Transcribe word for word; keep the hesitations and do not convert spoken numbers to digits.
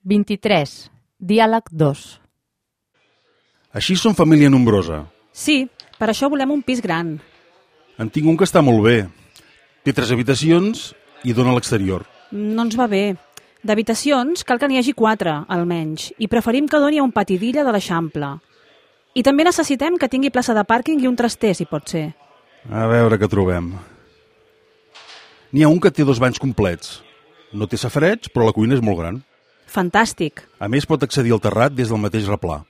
vint-i-tres. Diàleg dos. Així som família nombrosa. Sí, per això volem un pis gran. En tinc un que està molt bé. Té tres habitacions i dona a l'exterior. No ens va bé. D'habitacions cal que n'hi hagi quatre, almenys, i preferim que doni a un pati d'illa de l'Eixample. I també necessitem que tingui plaça de pàrquing i un traster, si pot ser. A veure què trobem. N'hi ha un que té dos banys complets. No té safareig, però la cuina és molt gran. Fantàstic. A més, pot accedir al terrat des del mateix replà.